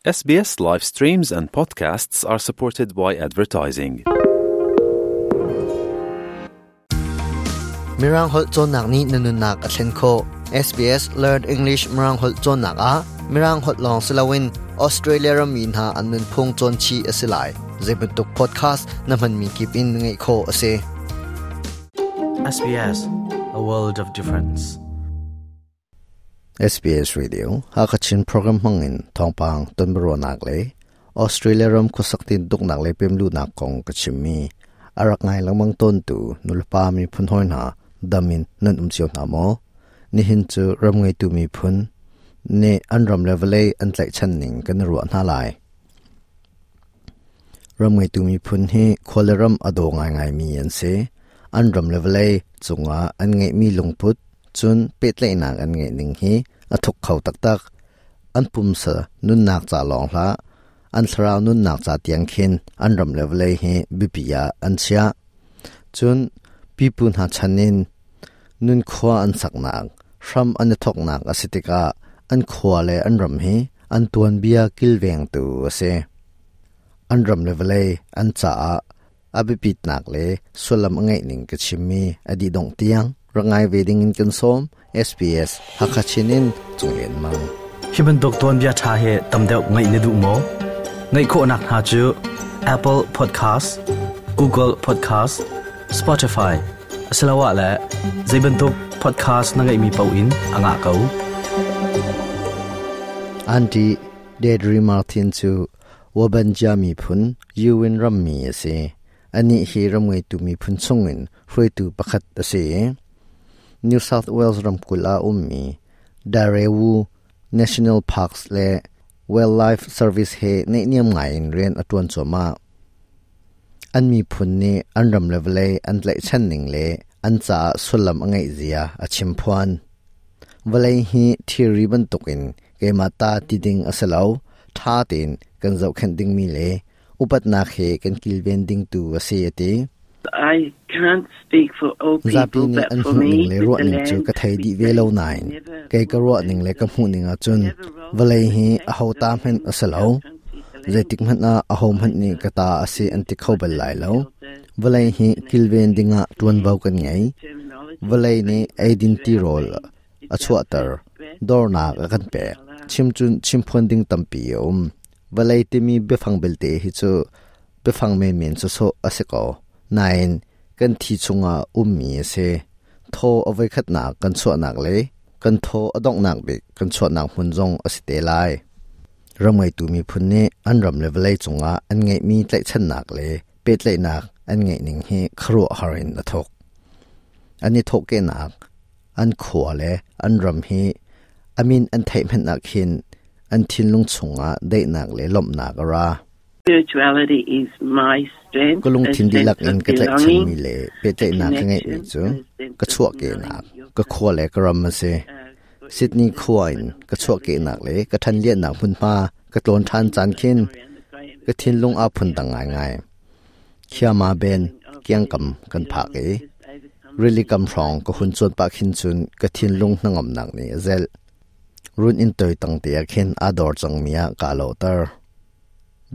SBS live streams and podcasts are supported by advertising. Mirang holh cawnnak nih na nunnak a thlen khawh. SBS Learn English Mirang holh cawnnak ah Mirang holh lawng si loin Australia rammi hna an nunphung cawn chih a si lai. Zeibantuk podcast na hmanmi kip in ngaih khawh a si. SBS, a world of difference. SBS Radio Hakachin program hmangin thawngpang tonbiaruahnak le Australia ram khuasak tintuknak le pemluhnak kong ka chimmi a rak ngai lengmang tawntu nulepa miphun hawi hna dam in nan um cio hna maw? Nihin cu ram ngeitu miphun nih an ram le vawlei an tlaihchan ning kan i ruah hna lai. Ram ngeitu miphun hi khua le ram a daw ngaingaimi an si. An ram le vawlei cungah an ngeihmi lungput, cun pehtlaihnak an ngeih ning hi a thuk kho taktak. An pumsa nunnak ca lawng hlah, an thlarau nunnak ca tiang khin an ram le vawlei hi biapi ah an chiah. Cun pipu hna chan in nunkhua an saknak, hram an i thawknak a si tikah an khua le an ram hi an tuanbia kilvengtu a si. An ram le vawlei an caah a biapitnak le sullam a ngeih ning ka chimmi a dih dongh tiang rak ngai ve ding in kan sawm. SBS Hakha Chin in Cunglian Mang. Hi bantuk tuanbia ṭha hi tam deuh ngaih na duh maw? Ngaih khawhnak hna cu Apple Podcast, Google Podcast, Spotify asiloah le zei bantuk podcast na ngeihmi paoh in a ngah ko. Auntie Deirdre Martin cu Wabanja miphun Ewin rammi a si. Anih hi ram ngeitu miphun chungin hruaitu pakhat a si i New South Wales ramkulh ah ummi Darewu National Parks le Wildlife Service he naihniam ngaiin rian a ṭuan cuahmah. An miphun nih an ram le vawlei an tlaihchan ning le an caah sullam a ngeih zia a chimphuan. Vawlei hi thirri bantukin keimah ta ti ding a si lo, ṭha tein kan zohkhenh dingmi le upatnak he kan kilven ding tu a si a ti. I can't speak for all people, Zapi nih but an for hmuhning me, le with the ruahning cu land, ka thei we dih ve say lo nain never kei ka ruahning le ka hmuhning ahcun never wrong vawlei to hi protect aho the ta hmanh land, a si lo. our country, the land. Zeitik hmanh ah aho hmanh nih ka ta a si an ti kho bal lai lo. Vawlei hi kilven dingah ṭuanvo kan ngei. Vawlei nih eidin tirawl a chuahter, dornak a kan pek. Chimcun chimphuan ding tampi a um. Vawlei timi biafang belte hi cu biafang menmen sawsawh a si ko. Nain kan thi chungah ummi a si. Thaw a voikhatnak kan chuahnak le kan thaw a donghnak bik kan chuahnak hmun zong a si te lai. Ram ngeitu miphun nih an ram le vawlei cungah an ngeihmi tlaihchannak le pehtlaihnak an ngeih ning hi khuaruahhar in a thawk. An i thawhkehnak, an khua le an ram hi a min an theih hmanh ah khin an thinlung chungah daihnak le lawmhnak a ra. Spirituality is my strength, Ka a lungthin sense dihlak in of ka tlaihchanmi belonging, le a pehtlaihnak ka ngeihmi connection, cu and a sense ka of knowing chuahkehnak, your ka khua le country. ka ram a si. For Sydney instance, khua when in I'm ka traveling chuahkehnak le ka overseas, ṭhanliannak hmunhma ka tlawn ṭhan in caan khin around the Grey ka thinlung aa Amazon phundang ngaingai. This Khiama ben feeling of kiangkam deep kan phak belonging i just overcomes rili me. kam hrawng ka hun cuan pah khin cun ka thinlung hnangamnak nih a zelh. Run inn toi tang te ah khin aa dor cangmi ah kaa lawhter.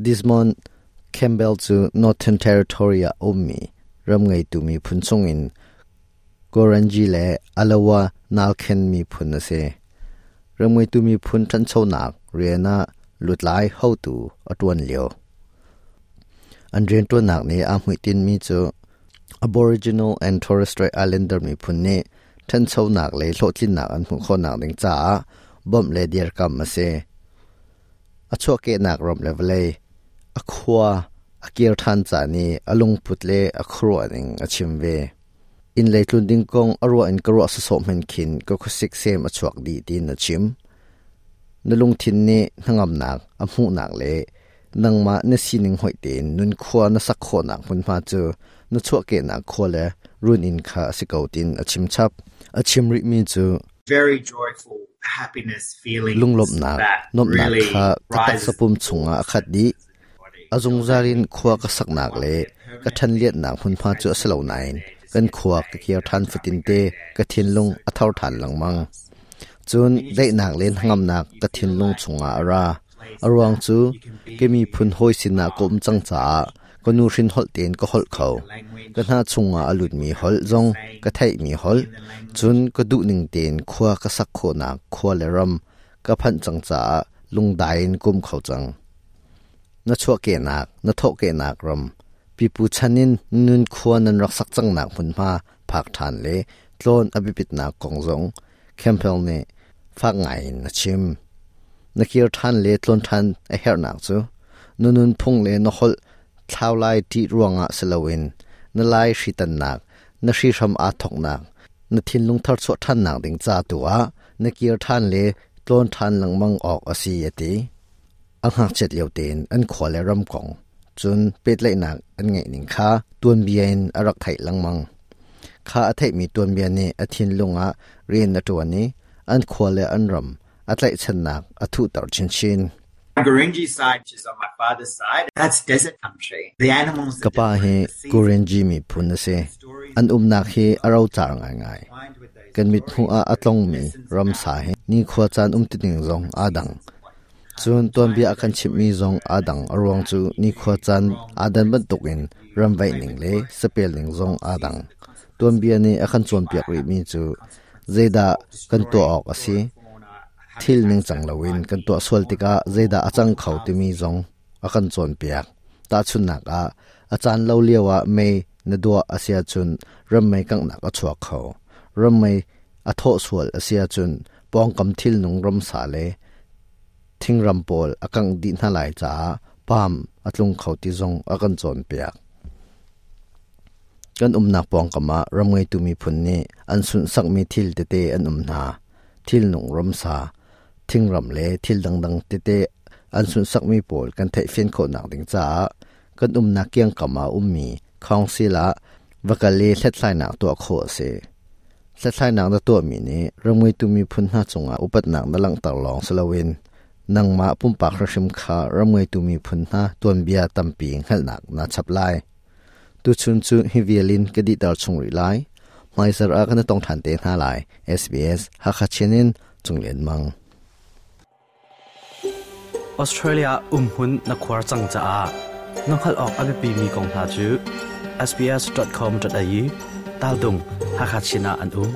Desmond Campbell cu Northern Territory ah a ummi ram ngeitu miphun chungin Goranji le Alawa Nalkhen miphun a si. Ram ngeitu miphun ṭhanchonak rian ah lutlai hotu a ṭuan lio. An rianṭuannak nih aa hmuitinmi cu Aboriginal and Torres Strait Islander miphun nih ṭhanchonak le hlawhtlinnak an hmuh khawhnak ding caah bawmh le dirkamh a si. A chuahkehnak ram le vawlei, a khua a kir ṭhan caan i a lungput le a khuaruahning a chim ve. Inn lei tlun ding kong a ruah in ka ruah sawsawh hmanh khin ka khuasik sem a chuak dih tiin a chim. Na lungthin nih hnangamnak a hmuhnak le nangmah na sining hoih tein nunkhua na sak khawhnak hmunhma cu na chuahkehnak khua le runinn kha a si ko tiin a chim chap. A chim rihmi cu very joyful happiness feelings lunglawmhnak, that nuamhnak really kha ka rises taksa-pum chungah a khat dih. A zungzal in khua ka saknak le ka ṭhanlianhnak hmunhma cu a si lo nain kan khua ka kir ṭhan fatinte ka thinlung a thor ṭhan lengmang. Cun daihnak le hnangamnak ka thinlung chungah a ra. A ruang cu ka miphun hawi sinah ka um cang caah ka nuhrin holh tein ka holh kho. Ka hna chungah a lutmi holh zong ka theihmi holh, cun ka duhning tein khua ka sak khawhnak khua le ram ka phanh cang caah lungdai in ka um kho cang. Na chuahkehnak, na thawhkehnak ram, pipu chan in nun khua nan rak sak cangnak hmunhma phak ṭhan le tlawn a biapitnak kong zong Campbell nih fak ngaiin a chim. Na kir ṭhan le tlawn ṭhan a herhnak cu na nunphung le na holh thlau lai ṭih ruangah si loin na lai hritannak, na hrihram aa thawknak, na thinlung tharchuah ṭhannak ding ca tu ah na kir ṭhan le tlawn ṭhan lengmang awk a si a ti. A ngakchiat lio tein an khua le ram kong, cun pehtlaihnak an ngeih ning kha tuanbia in a rak theih lengmang. Kha a theihmi tuanbia nih a thinlung ah rian a ṭuan i an khua le an ram a tlaihchannak a thuhter chinchin. Gurindji side, which is on my father's side, that's desert country. The animals Ka pa hi Gurindji miphun a si. An umnak hi a rocar ngaingai. Kan mithmuh ah a tlongmi ramsa hi nikhua caan umtuning zong aa dang. Cun tuanbia a kan chimhmi zong aa dang. A ruang cu nikhua caan aa dan bantukin ramvaih ning le sapel ning zong aa dang. Tuanbia nih a kan cawnpiak rihmi cu zeidah kan tuah awk a si, thil ningcang loin kan tuah sual tikah zeidah a cang kho timi zong a kan cawnpiak. Tahchunhnak ah, a caan lo lioah mei na duah a si ahcun rammei kanghnak a chuak kho. Rammei a thawh sual a si ahcun pawngkam thilnung ramsa le thingram pawl a kangh dih hna lai caah paam a tlung kho ti zong a kan cawnpiak. Kan umnak pawngkam ah ram ngeitu miphun nih an sunhsakmi thil tete an um hna. Thilnung ramsa, thingram le thil dangdang tete an sunhsakmi pawl kan theihfian khawhnak ding caah kan umnak kiangkam ah ummi council ah va kal i hlathlainak tuah khawh a si. Hlathlainak na tuahmi nih ram ngeitu miphun hna cungah upatnak na langhter lawng si loin nangmah pumpak hrimhrim kha ram ngeitu miphun hna tuanbia tampi hngalhnak naa chap lai. Tuchun cu hi vial in ka dihter chung rih lai. Hmaizarh ah kan i tong ṭhan te hna lai. SBS Hakha Chin in Cung Lian Mang. Australia umhmun na khuar cang caah na hngalh awk a biapimi kong hna cu sbs.com.au taltung Hakha Chin ah an um.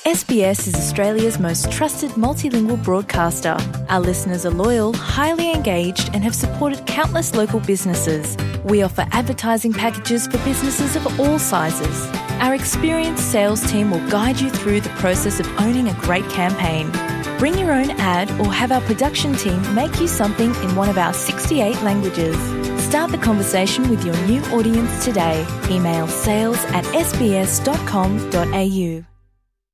SBS is Australia's most trusted multilingual broadcaster. Our listeners are loyal, highly engaged, and have supported countless local businesses. We offer advertising packages for businesses of all sizes. Our experienced sales team will guide you through the process of owning a great campaign. Bring your own ad or have our production team make you something in one of our 68 languages. Start the conversation with your new audience today. Email sales at sbs.com.au.